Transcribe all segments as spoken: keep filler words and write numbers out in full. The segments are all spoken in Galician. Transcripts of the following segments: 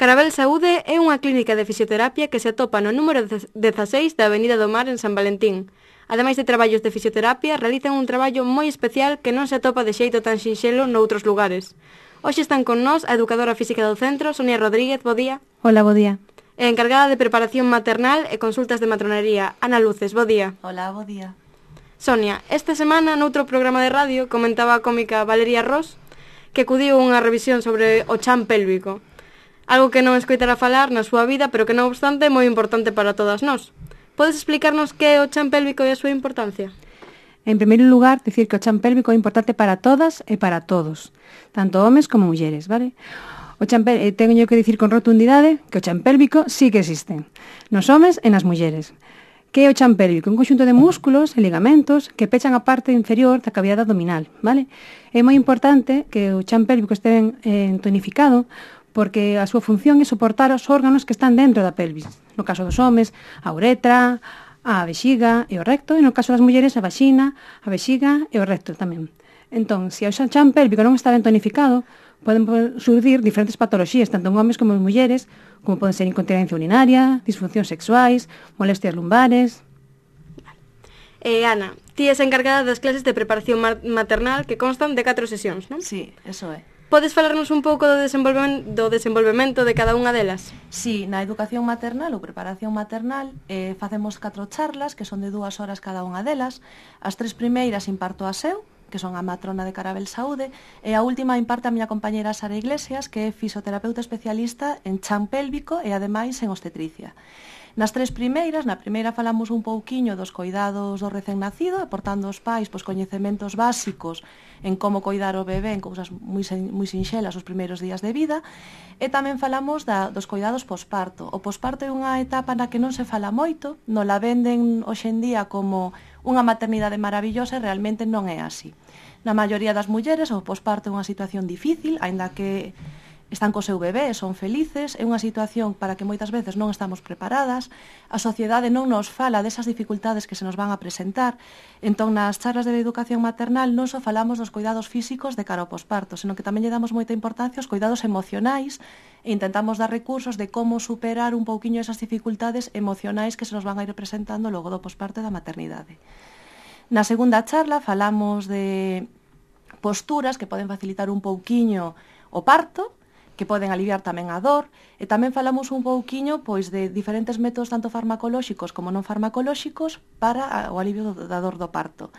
Carabel Saúde é unha clínica de fisioterapia que se atopa no número dezaseis da Avenida do Mar en San Valentín. Ademais de traballos de fisioterapia, realizan un traballo moi especial que non se atopa de xeito tan sinxelo noutros lugares. Hoxe están con nós a educadora física do centro, Sonia Rodríguez, bo día. Hola, bo día. E a encargada de preparación maternal e consultas de matronería, Ana Luces, bo día. Hola, bo día. Sonia, esta semana noutro programa de radio comentaba a cómica Valeria Ross que acudiu unha revisión sobre o chan pélvico. Algo que non escoitara falar na súa vida, pero que non obstante é moi importante para todas nós. Podes explicarnos que é o chan pélvico e a súa importancia? En primeiro lugar, dicir que o chan pélvico é importante para todas e para todos, tanto homes como mulleres, vale? O chan pélvico, teño que dicir con rotundidade que o chan pélvico sí que existe, nos homes e nas mulleres. Que é o chan pélvico? Un conxunto de músculos e ligamentos que pechan a parte inferior da cavidade abdominal, vale? É moi importante que o chan pélvico este ben eh, tonificado, porque a súa función é soportar os órganos que están dentro da pelvis. No caso dos homes, a uretra, a vexiga e o recto, e no caso das mulleres, a vaxina, a vexiga e o recto tamén. Entón, se o chan pélvico non está ben tonificado, poden surdir diferentes patoloxías, tanto en homes como en mulleres, como poden ser incontinencia urinaria, disfuncións sexuais, molestias lumbares. Eh, Ana, ti és encargada das clases de preparación maternal que constan de catro sesións, non? Sí, eso é. Podes falarnos un pouco do desenvolvemento, do desenvolvemento de cada unha delas? Sí, na educación maternal ou preparación maternal eh, facemos catro charlas que son de dúas horas cada unha delas. As tres primeiras imparto a seu, que son a matrona de Carabel Saúde, e a última imparte a miña compañera Sara Iglesias, que é fisioterapeuta especialista en chan pélvico e ademais en obstetricia. Nas tres primeiras, na primeira falamos un pouquiño dos coidados do recén nacido, aportando aos pais pois, coñecementos básicos en como coidar o bebé en cousas moi, moi sinxelas os primeiros días de vida, e tamén falamos da, dos coidados posparto. O posparto é unha etapa na que non se fala moito, non la venden hoxe en día como unha maternidade maravillosa e realmente non é así. Na maioría das mulleres o posparto é unha situación difícil, aínda que están co seu bebé, son felices, é unha situación para que moitas veces non estamos preparadas, a sociedade non nos fala desas dificultades que se nos van a presentar, entón nas charlas de educación maternal non só falamos dos cuidados físicos de cara ao posparto, senón que tamén lle damos moita importancia aos cuidados emocionais e intentamos dar recursos de como superar un pouquiño esas dificultades emocionais que se nos van a ir presentando logo do posparto e da maternidade. Na segunda charla falamos de posturas que poden facilitar un pouquiño o parto, que poden aliviar tamén a dor, e tamén falamos un pouquiño pois de diferentes métodos tanto farmacolóxicos como non farmacolóxicos para o alivio da dor do parto.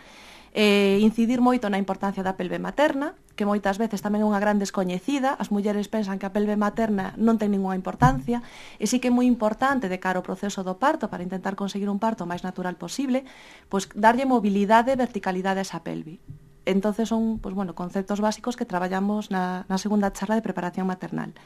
Eh, incidir moito na importancia da pelve materna, que moitas veces tamén é unha gran descoñecida, as mulleres pensan que a pelve materna non ten ninguna importancia, e sí que é moi importante de cara ao proceso do parto, para intentar conseguir un parto o máis natural posible, pois darlle mobilidade e verticalidade a esa pelve. Entonces son, pues, bueno, conceptos básicos que traballamos na, na segunda charla de preparación maternal.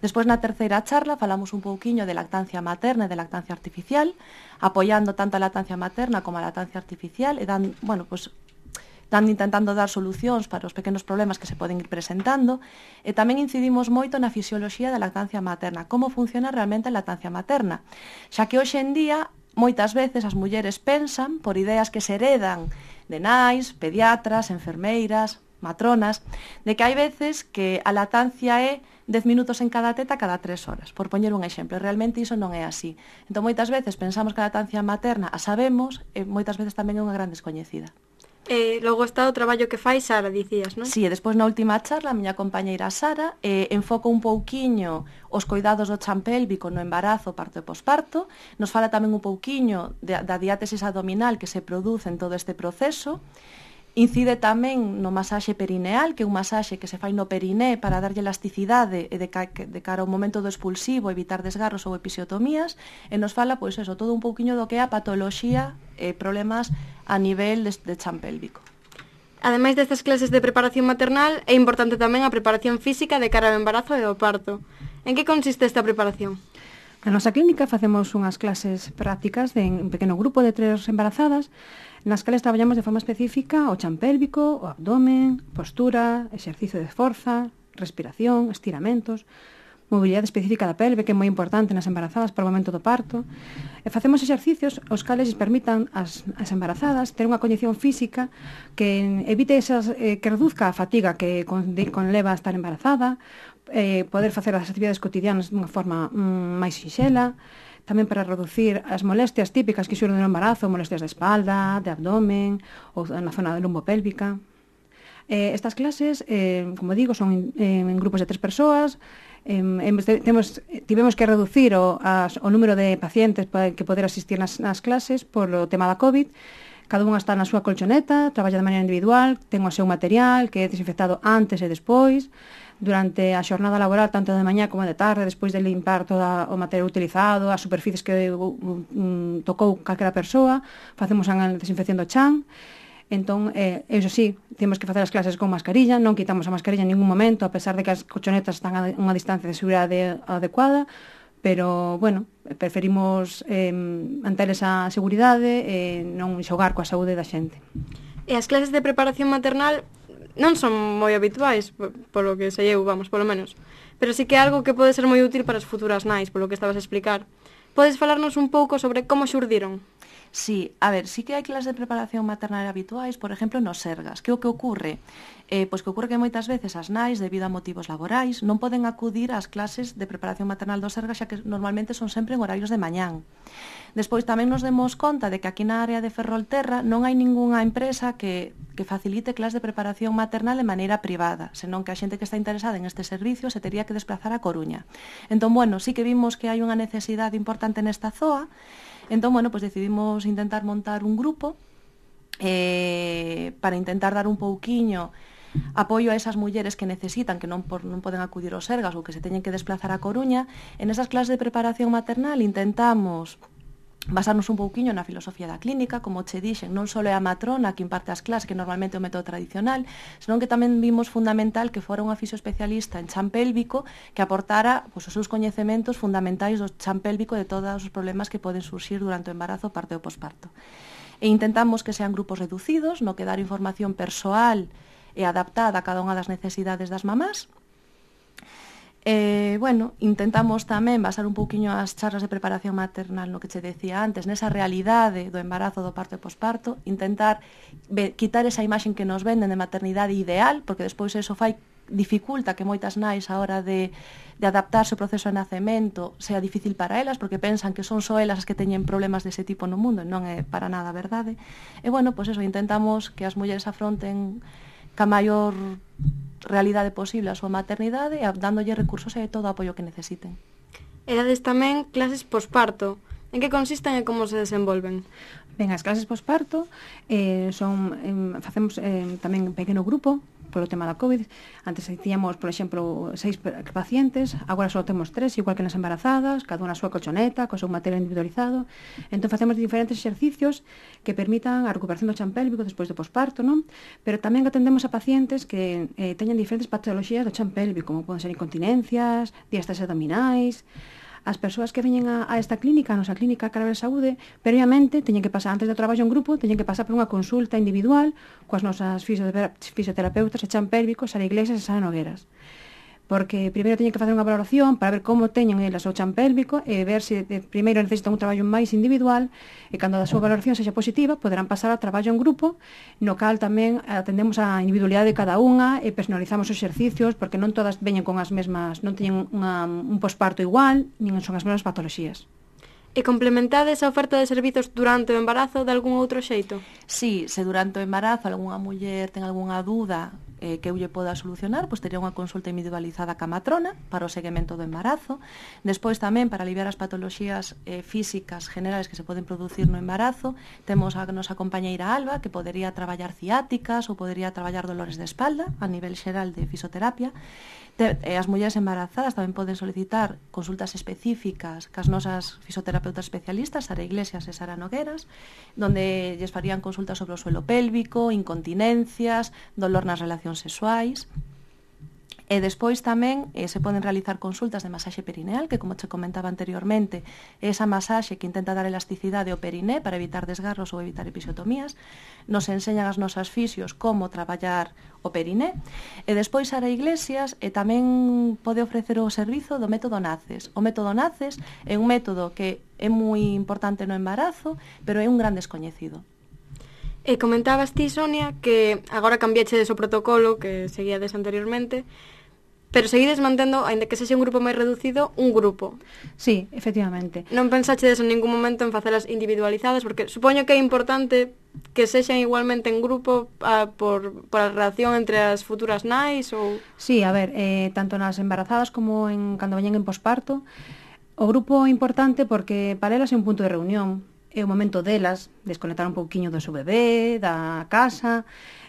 Despois, na terceira charla, falamos un pouquiño de lactancia materna e de lactancia artificial, apoiando tanto a lactancia materna como a lactancia artificial, e dan, bueno, pues, dan intentando dar solucións para os pequenos problemas que se poden ir presentando, e tamén incidimos moito na fisioloxía da lactancia materna, como funciona realmente a lactancia materna, xa que hoxe en día moitas veces as mulleres pensan, por ideas que se heredan de nais, pediatras, enfermeiras, matronas, de que hai veces que a lactancia é dez minutos en cada teta cada tres horas, por poñer un exemplo. Realmente iso non é así. Entón, moitas veces pensamos que a lactancia materna a sabemos e moitas veces tamén é unha gran descoñecida. E logo está o traballo que fai Sara, dicías, non? Sí, e despois na última charla a miña compañeira Sara eh, enfoca un pouquiño os coidados do chan pélvico no embarazo, parto e posparto, nos fala tamén un pouquiño de, da diátesis abdominal que se produce en todo este proceso, incide tamén no masaxe perineal, que é un masaxe que se fai no periné para darlle elasticidade e de, ca, de cara ao momento do expulsivo, evitar desgarros ou episiotomías, e nos fala, pois eso, todo un pouquiño do que é a patoloxía e problemas a nivel de, de chan pélvico. Ademais destas clases de preparación maternal, é importante tamén a preparación física de cara ao embarazo e ao parto. En que consiste esta preparación? Na nosa clínica facemos unhas clases prácticas de un pequeno grupo de tres embarazadas, nas cales traballamos de forma específica o chan pélvico, o abdomen, postura, exercicio de forza, respiración, estiramentos, mobilidade específica da pelve, que é moi importante nas embarazadas para o momento do parto. E facemos exercicios os cales permitan as, as embarazadas ter unha coñección física que evite esas, eh, que reduzca a fatiga que con, de, conleva a estar embarazada, eh, poder facer as actividades cotidianas dunha forma mm, máis sinxela, tamén para reducir as molestias típicas que xurden no embarazo, molestias de espalda, de abdomen ou na zona lumbopélvica. Eh, estas clases, eh, como digo, son en, en grupos de tres persoas. Eh, temos, tivemos que reducir o, as, o número de pacientes para que poder asistir nas, nas clases por o tema da COVID. Cada unha está na súa colchoneta, traballa de maneira individual, ten o seu material que é desinfectado antes e despois. Durante a xornada laboral, tanto de mañá como de tarde, despois de limpar todo o material utilizado, as superficies que um, tocou calquera persoa, facemos a desinfección do chan. Entón, eh, eso sí, temos que facer as clases con mascarilla, non quitamos a mascarilla en ningún momento, a pesar de que as colchonetas están a unha distancia de seguridade adecuada, pero, bueno, preferimos eh, manter esa seguridade e non xogar coa saúde da xente. E as clases de preparación maternal non son moi habituais, polo que sei eu, vamos, polo menos, pero sí que é algo que pode ser moi útil para as futuras nais, polo que estabas a explicar. Podes falarnos un pouco sobre como xurdiron? Sí, a ver, sí que hai clases de preparación maternal habituais, por exemplo, nos Sergas. Que o que ocorre? Eh, pois que ocorre que moitas veces as nais, debido a motivos laborais, non poden acudir ás clases de preparación maternal dos Sergas, xa que normalmente son sempre en horarios de mañán. Despois tamén nos demos conta de que aquí na área de Ferrolterra non hai ningunha empresa que, que facilite clases de preparación maternal de maneira privada, senón que a xente que está interesada en este servicio se tería que desplazar a Coruña. Entón, bueno, sí que vimos que hai unha necesidade importante nesta zoa. Entón, bueno, pues decidimos intentar montar un grupo eh, para intentar dar un pouquiño apoio a esas mulleres que necesitan, que non, por, non poden acudir aos Sergas ou que se teñen que desplazar a Coruña. En esas clases de preparación maternal intentamos basarnos un pouquiño na filosofía da clínica, como che dixen, non só é a matrona que imparte as clases, que normalmente é o método tradicional, senón que tamén vimos fundamental que fora unha fisioespecialista en chan pélvico que aportara pues, os seus coñecementos fundamentais do chan pélvico de todos os problemas que poden surxir durante o embarazo, parto e posparto. E intentamos que sean grupos reducidos, no que dar información persoal e adaptada a cada unha das necesidades das mamás. Eh, bueno, intentamos tamén basar un pouquiño as charlas de preparación maternal no que che decía antes, nesa realidade do embarazo, do parto e posparto, intentar ve, quitar esa imaxen que nos venden de maternidade ideal, porque despois eso fai dificulta que moitas nais a hora de, de adaptarse ao proceso de nacemento sea difícil para elas, porque pensan que son só elas as que teñen problemas dese tipo no mundo, e non é para nada verdade. E bueno, pois eso, intentamos que as mulleres afronten ca maior realidade posible a súa maternidade e dándolle recursos e todo o apoio que necesiten. E dades tamén clases posparto. En que consisten e como se desenvolven? Ben, as clases posparto eh, son, eh, facemos eh, tamén un pequeno grupo polo tema da COVID. Antes tiñamos, por exemplo, seis pacientes, agora só temos tres, igual que nas embarazadas, cada unha a súa colchoneta, co seu material individualizado. Entón facemos diferentes exercicios que permitan a recuperación do chan pélvico despois do posparto, non? Pero tamén atendemos a pacientes que eh, teñen diferentes patologías do chan pélvico, como poden ser incontinencias, diástases abdominais. As persoas que veñen a, a esta clínica, a nosa clínica Carabel Saúde, previamente teñen que pasar, antes do traballo en grupo, teñen que pasar por unha consulta individual coas nosas fisioterapeutas e chan pélvicos, Sara Iglesias e Sara Nogueras. Porque primeiro teñen que facer unha valoración para ver como teñen elas o chan pélvico e ver se de, primeiro necesitan un traballo máis individual e cando a súa valoración sexa positiva poderán pasar ao traballo en grupo, no cal tamén atendemos a individualidade de cada unha e personalizamos os exercicios porque non todas veñen con as mesmas, non teñen unha, un posparto igual, nin son as mesmas patoloxías. E complementades a oferta de servizos durante o embarazo de algún outro xeito? Sí, se durante o embarazo algunha muller ten algunha dúda eh, que eu lle poda solucionar, pois tería unha consulta individualizada ca matrona para o seguimento do embarazo. Despois tamén, para aliviar as patoloxías eh, físicas generales que se poden producir no embarazo, temos a nosa compañeira Alba, que podería traballar ciáticas ou podería traballar dolores de espalda a nivel xeral de fisioterapia. As mulleres embarazadas tamén poden solicitar consultas específicas cas nosas fisioterapeutas especialistas, Sara Iglesias e Sara Nogueras, donde lles farían consultas sobre o suelo pélvico, incontinencias, dolor nas relacións sexuais. E despois tamén eh, se poden realizar consultas de masaxe perineal, que como che comentaba anteriormente, é esa masaxe que intenta dar elasticidade ao periné para evitar desgarros ou evitar episiotomías. Nos enseñan as nosas fisios como traballar o periné. E despois Sara Iglesias e tamén pode ofrecer o servizo do método NACES. O método NACES é un método que é moi importante no embarazo, pero é un gran descoñecido. E comentabas ti, Sonia, que agora cambiachedes o protocolo que seguíades anteriormente, pero seguides mantendo, aínda que sexa un grupo máis reducido, un grupo. Sí, efectivamente. Non pensachedes en ningún momento en facelas individualizadas, porque supoño que é importante que sexan igualmente en grupo a, por, por a relación entre as futuras nais ou... Sí, a ver, eh, tanto nas embarazadas como en cando veñen en posparto, o grupo é importante porque para elas é un punto de reunión, é o momento delas, desconectar un pouquiño do seu bebé, da casa.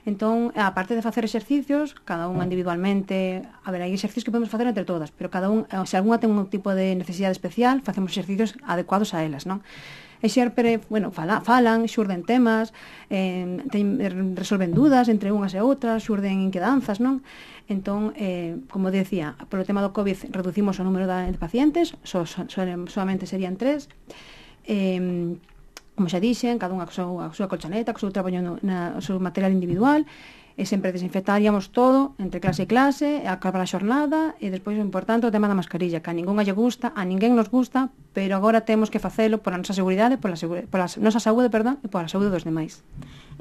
Entón, a parte de facer exercicios, cada unha individualmente, a ver, hai exercicios que podemos facer entre todas, pero cada un, se algunha ten un tipo de necesidade especial, facemos exercicios adecuados a elas, non? E xerpere, bueno, fala, falan, xurden temas, eh, ten, resolven dudas entre unhas e outras, xurden inquedanzas, non? Entón, eh, como decía, polo tema do COVID reducimos o número de pacientes, so, so, solamente serían tres, eh, como xa dixen, cada unha a súa, a súa colchoneta, co seu traballo no, na, o seu material individual, e sempre desinfectaríamos todo entre clase e clase, acabar a xornada, e despois o importante o tema da mascarilla, que a ningunha lle gusta, a ninguén nos gusta, pero agora temos que facelo pola nosa seguridade, pola, pola nosa saúde, perdón, e pola saúde dos demais.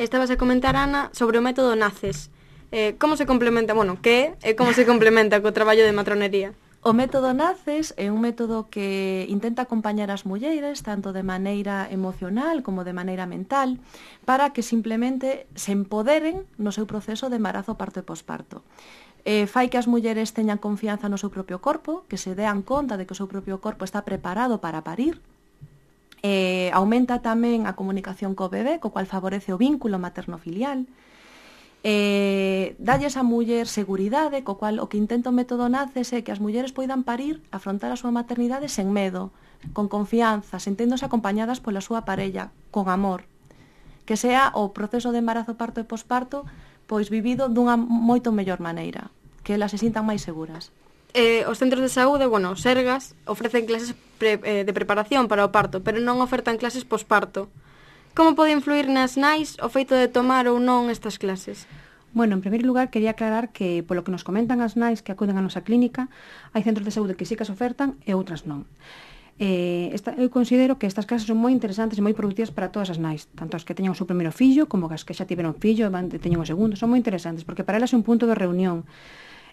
Estabas a comentar, Ana, sobre o método NACES. Eh, como se complementa, bueno, que e como se complementa co traballo de matronería? O método NACES é un método que intenta acompañar as mulleres tanto de maneira emocional como de maneira mental para que simplemente se empoderen no seu proceso de embarazo, parto e posparto. Eh, fai que as mulleres teñan confianza no seu propio corpo, que se dean conta de que o seu propio corpo está preparado para parir. Eh, aumenta tamén a comunicación co bebé, co cual favorece o vínculo materno-filial. Eh, dalles a muller seguridade, co cual o que intenta o método NACES é que as mulleres poidan parir, afrontar a súa maternidade sen medo, con confianza, senténdose acompañadas pola súa parella, con amor. Que sea o proceso de embarazo, parto e posparto pois vivido dunha moito mellor maneira, que elas se sintan máis seguras. Eh, os centros de saúde, bueno, os Sergas, ofrecen clases pre, eh, de preparación para o parto, pero non ofertan clases posparto. Como pode influir nas nais o feito de tomar ou non estas clases? Bueno, en primeiro lugar, quería aclarar que, polo que nos comentan as nais que acuden á nosa clínica, hai centros de saúde que sí que as ofertan e outras non. Eh, esta, eu considero que estas clases son moi interesantes e moi productivas para todas as nais, tanto as que teñan o seu primeiro fillo, como as que xa tiveron fillo e van, teñen o segundo, son moi interesantes, porque para elas é un punto de reunión,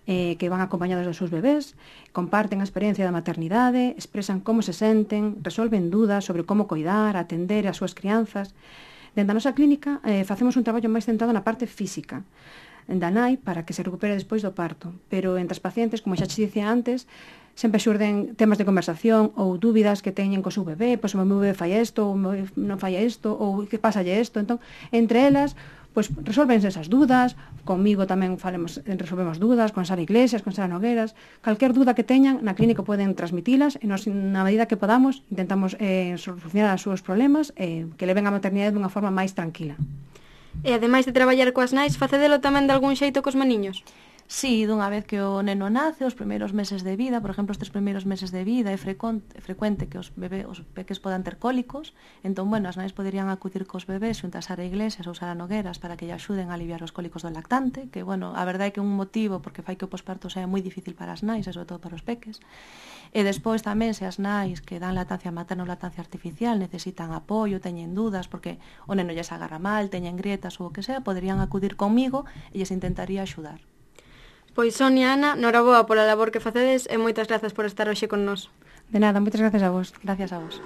eh, que van acompañados dos seus bebés, comparten a experiencia da maternidade, expresan como se senten, resolven dudas sobre como coidar, atender as súas crianzas. Dentro da nosa clínica eh, facemos un traballo máis centrado na parte física da nai para que se recupere despois do parto, pero entre as pacientes, como xa te dicía antes, sempre xurden temas de conversación ou dúbidas que teñen co seu bebé, pois o meu bebé fai isto, ou non fai isto, ou que pasalle isto. Entón, entre elas, pois resolvense esas dúdas, comigo tamén falemos, resolvemos dúdas, con Sara Iglesias, con Sara Nogueras, calquer dúda que teñan na clínica poden transmitilas e nos, na medida que podamos, intentamos eh, solucionar os seus problemas e eh, que leven a maternidade dunha forma máis tranquila. E ademais de traballar coas nais, facedelo tamén de algún xeito cos maniños? Sí, dunha vez que o neno nace, os primeiros meses de vida, por exemplo, os tres primeiros meses de vida, é frecuente, é frecuente que os bebés, os peques podan ter cólicos, entón, bueno, as nais poderían acudir cos bebés xunto a Sara Iglesias ou Sara Nogueras para que lle axuden a aliviar os cólicos do lactante, que, bueno, a verdade é que é un motivo porque fai que o posparto sea moi difícil para as nais, e sobre todo para os peques. E despois tamén, se as nais que dan lactancia materna ou lactancia artificial necesitan apoio, teñen dudas porque o neno lles agarra mal, teñen grietas ou o que sea, poderían acudir comigo e lles intentaría axudar. Pois Sonia, Ana, noraboa pola labor que facedes e moitas grazas por estar hoxe con nós. De nada, moitas grazas a vos. Gracias a vos.